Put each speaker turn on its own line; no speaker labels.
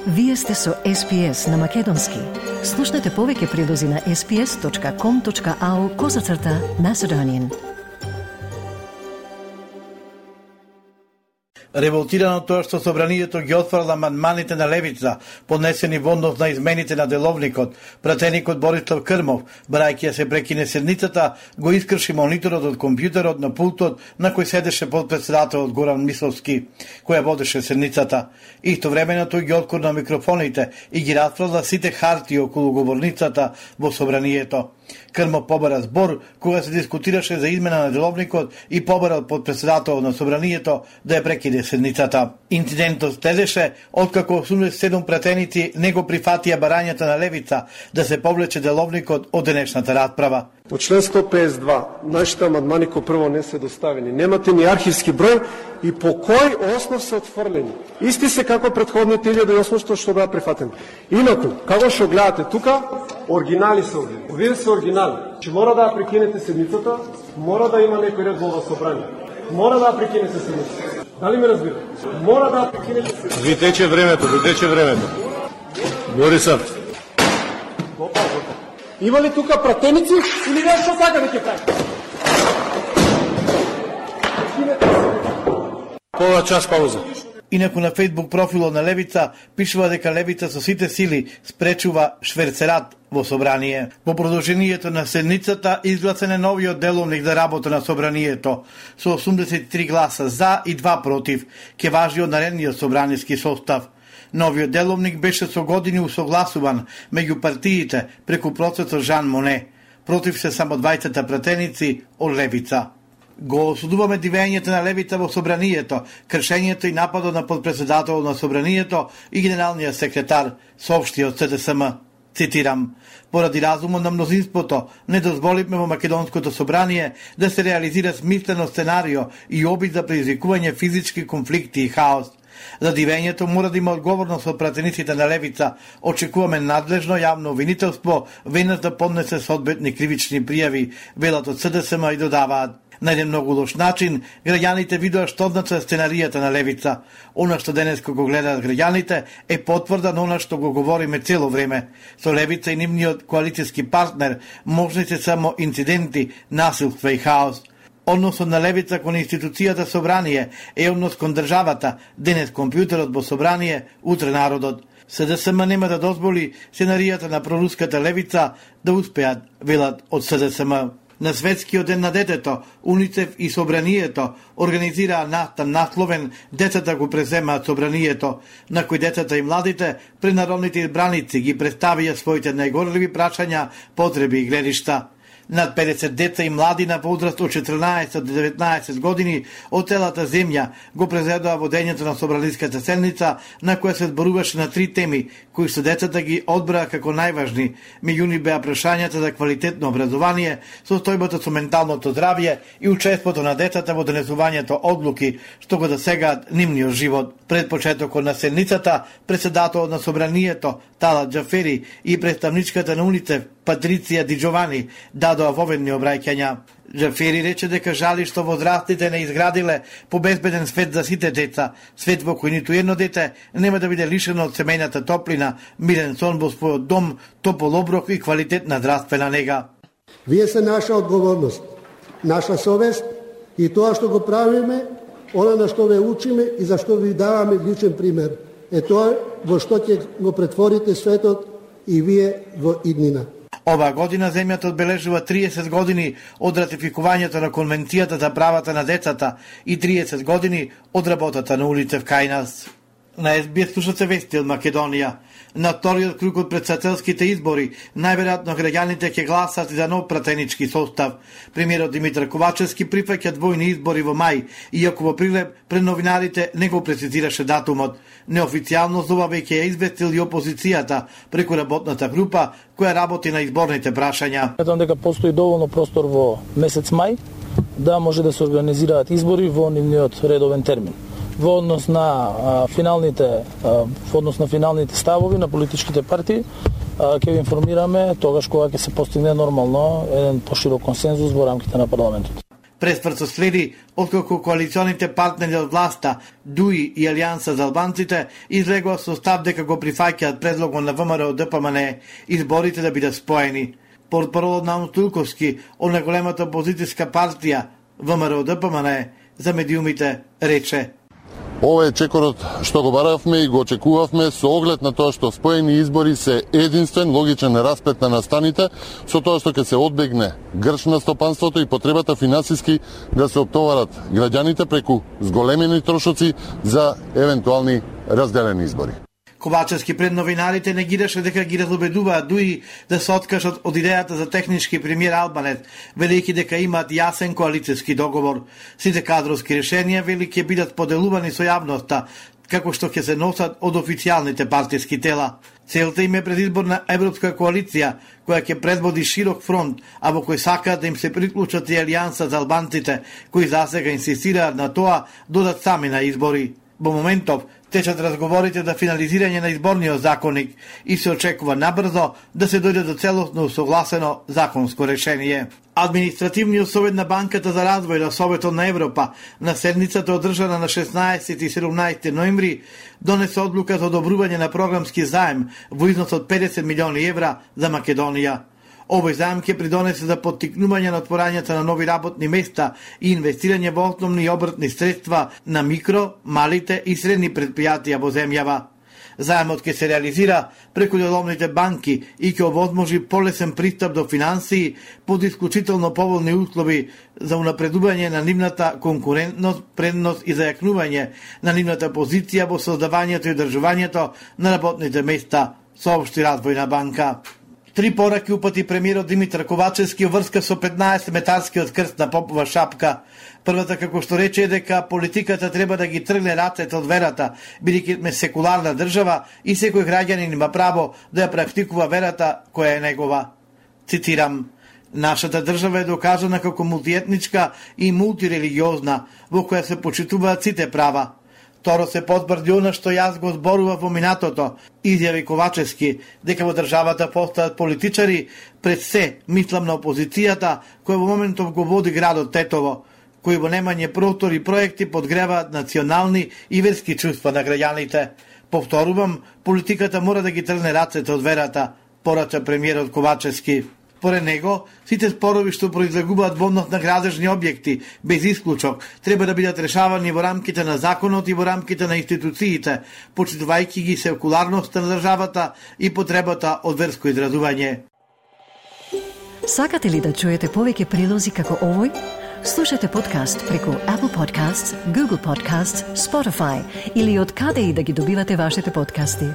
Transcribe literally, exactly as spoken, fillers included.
Вие сте со Ес Пи Ес на Македонски. Слушнете повеќе прилози на ес пи ес точка ком точка ау козацрта Macedonian.
Револтирано тоа што собранието ги отфрла амандманите на левица, поднесени во однос на измените на деловникот, пратеникот Борислав Крмов, барајќи ја се прекине седницата, го искрши мониторот од компјутерот на пултот на кој седеше подпредседателот Горан Мисловски, која водеше седницата. Истовремено тој ги откорна микрофоните и ги расфрла сите хартии околу говорницата во собранието. Крмов побара збор кога се дискутираше за измена на деловникот и побарал подпредседателот на собранието да ја прекине седницата. Инцидентот следеше откако осумдесет и седум пратеници не го прифатија барањата на левица да се повлече деловникот од денешната расправа.
По член сто педесет и два, нашите амандмани кои прво не се доставени. Немате ни архивски број и по кој основ се отфрлени. Исти се како претходните илјада и осумстотини што беа прифатени. Инаку, како што гледате тука, оригинали се овие. Овие се оригинали. Че мора да ја прекинете седницата, мора да има некој ред во собрание. Мора да ја прекинете седницата. Дали ме разбирате? Мора да ја прекинете седницата.
Ви тече времето, ви тече времето. Борисов.
Има ли тука пратеници или вие што сака да ќе правите?
Пола час пауза.
Инаку на Facebook профилот на левица пишува дека левица со сите сили спречува шверцерат во собрание. Во продолжението на седницата изгласен е новиот деловник за работа на собранието со осумдесет и три гласа за и два против, ке важи од наредниот собраниски состав. Новиот деловник беше со години усогласуван меѓу партиите преку процесот Жан Моне. Против се само двајцата пратеници од левица. Го осудуваме дивењето на левица во собранието, кршењето и нападот на подпредседателот на собранието и генералниот секретар, соопшти од Се Де Ес Ем. Цитирам: поради разумот на мнозинството, не дозволивме во Македонското собрание да се реализира смислено сценарио и обид за предизвикување физички конфликти и хаос. За дивењето мора да има одговорност од пратениците на левица. Очекуваме надлежно јавно обвинителство, веднаш да поднесе соодветни кривични пријави, велат од Се Де Ес Ем и додаваат: на еден многу лош начин, граѓаните видоа што значи сценаријата на левица. Она што денес го гледаат граѓаните е потврда на она што го говориме цело време. Со левица и нивниот коалицијски партнер можни се само инциденти, насилства и хаос. Односот на левица кон институцијата собрание е однос кон државата, денес компјутерот во собрание, утре народот. Се Де Ес Ем нема да дозволи сценаријата на проруската левица да успеат, велат од Се Де Ес Ем. На Светскиот ден на детето, УНИЦЕФ и Собранието организираа настан насловен "Децата го преземаат собранието", на кој децата и младите пред народните избраници ги представија своите најгорливи прашања, потреби и гледишта. Над педесет деца и млади на возраст од четрнаесет до деветнаесет години од целата земја го презедоа водењето на собраниската седница, на која се зборуваше на три теми, кои што децата ги одбраа како најважни. Меѓу нив беа прашањата за квалитетно образование, состојбата со менталното здравје и учеството на децата во донесувањето одлуки што го засегаат нивниот живот. Пред почетокот на седницата, председателот на собранието Талат Џафери и представничката на УНИЦЕФ Патриција Ди Џовани дадоа воведни обраќања. Џафери рече дека жали што возрастите не изградиле побезбеден свет за сите деца, свет во кој ниту едно дете нема да биде лишено од семејната топлина, мирен сон во својот дом, топол оброк и квалитетна здравствена нега.
Вие се наша одговорност, наша совест и тоа што го правиме, она на што ве учиме и за што ви даваме личен пример. Е тоа во што ќе го претворите светот и вие во иднина.
Оваа година земјата одбележува триесет години од ратификувањето на Конвенцијата за правата на децата и триесет години од работата на УНИЦЕФ кај нас. На Ес Би Ес слушате вести од Македонија. На вториот круг од претседателските избори, најверојатно граѓаните ќе гласат за нов пратенички состав. Премиерот Димитар Ковачевски прифаќа двојни избори во мај, иако во прилеп пред новинарите не го прецизираше датумот. Неофицијално за ова веќе ја известил и опозицијата преку работната група која работи на изборните прашања.
Сметам дека постои доволно простор во месец мај да може да се организираат избори во нивниот редовен термин. Во однос на а, финалните а, во однос на финалните ставови на политичките партии ќе ви информираме тогаш кога ќе се постигне нормално еден поширок консензус во рамките на парламентот.
Преспрцо следи откако коалиционите партнери од власта, ДУИ и Алијанса за албанците излегува со став дека го прифаќаат предлогот на ВМРО Д П М Н изборите да бидат споени. Портпаролот на Тулковски од најголемата опозицијска партија ВМРО Д П М Н за медиумите рече:
Ова е чекорот што го баравме и го очекувавме со оглед на тоа што споени избори се единствен логичен расплет на настаните, со тоа што ќе се одбегне грч на стопанството и потребата финансиски да се оптоварат граѓаните преку зголемени трошоци за евентуални разделени избори.
Ковачевски пред новинарите негираше дека ги разубедуваат ДУИ да се откажат од идејата за технички премиер Албанец, велики дека имаат јасен коалицијски договор. Сите кадровски решенија вели ќе бидат поделувани со јавноста, како што ќе се носат од официјалните партиски тела. Целта им е предизборна европска коалиција, која ќе предводи широк фронт, а во кој сакаат да им се приклучат и Алијанса за албанците, кои засега инсистираат на тоа додат сами на избори. Во моментов течат разговорите за финализирање на изборниот законник и се очекува набрзо да се дојде до целосно усогласено законско решение. Административниот совет на Банката за развој на Советот на Европа на седницата одржана на шеснаесети и седумнаесети ноември донесе одлука за одобрување на програмски заем во износ од педесет милиони евра за Македонија. Овој заем ќе придонесе за поттикнување на отворањето на нови работни места и инвестирање во основни и обртни средства на микро, малите и средни предпријатија во земјава. Заемот ќе се реализира преку деловните банки и ќе овозможи полесен пристап до финансии под исклучително поволни услови за унапредување на нивната конкурентност, предност и зајакнување на нивната позиција во создавањето и одржувањето на работните места, соопшти Развојна банка. Три пораки упати премиерот Димитар Ковачевски врска со петнаесет метарскиот крст на Попова шапка. Првата, како што рече, е дека политиката треба да ги тргне рацете од верата, бидејќи сме секуларна држава и секој граѓанин има право да ја практикува верата која е негова. Цитирам: Нашата држава е докажана како мултиетничка и мултирелигиозна, во која се почитуваат сите права. Торо се потврди она што јас го зборував во минатото, изјави Ковачевски, дека во државата постојат политичари, пред се мислам на опозицијата, која во моментов го води градот Тетово, кои во немање простор и проекти подгреваат национални и верски чувства на граѓаните. Повторувам, политиката мора да ги тргне рацете од верата, порача премиерот Ковачевски. Поред него, сите спорови што произлегуваат во однос на градежни објекти, без исклучок, треба да бидат решавани во рамките на законот и во рамките на институциите, почитувајќи ги секуларноста на државата и потребата од верско изразување.
Сакате ли да чуете повеќе прилози како овој? Слушате подкаст преку Apple Podcasts, Google Podcasts, Spotify или од каде и да ги добивате вашите подкасти.